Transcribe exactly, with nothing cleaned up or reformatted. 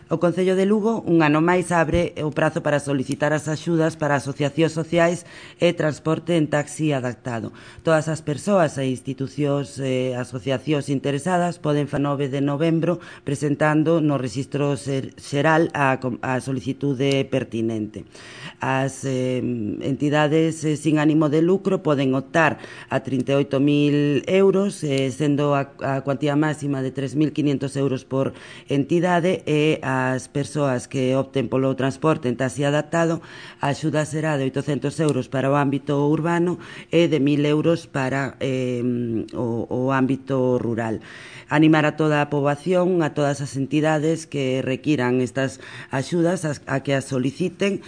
O Concello de Lugo un ano máis abre o prazo para solicitar as axudas para asociacións sociais e transporte en taxi adaptado. Todas as persoas e institucións e asociacións interesadas poden fa nove de novembro presentando no Rexistro Xeral a, a solicitude pertinente. As eh, entidades eh, sin ánimo de lucro poden optar a trinta e oito mil euros, eh, sendo a, a cuantía máxima de tres mil quinhentos euros por entidade, e as persoas que opten polo transporte en taxi adaptado, a axuda será de oitocentos euros para o ámbito urbano e de mil euros para eh, o, o ámbito rural. Animar a toda a poboación, a todas as entidades que requiran estas axudas a, a que as soliciten.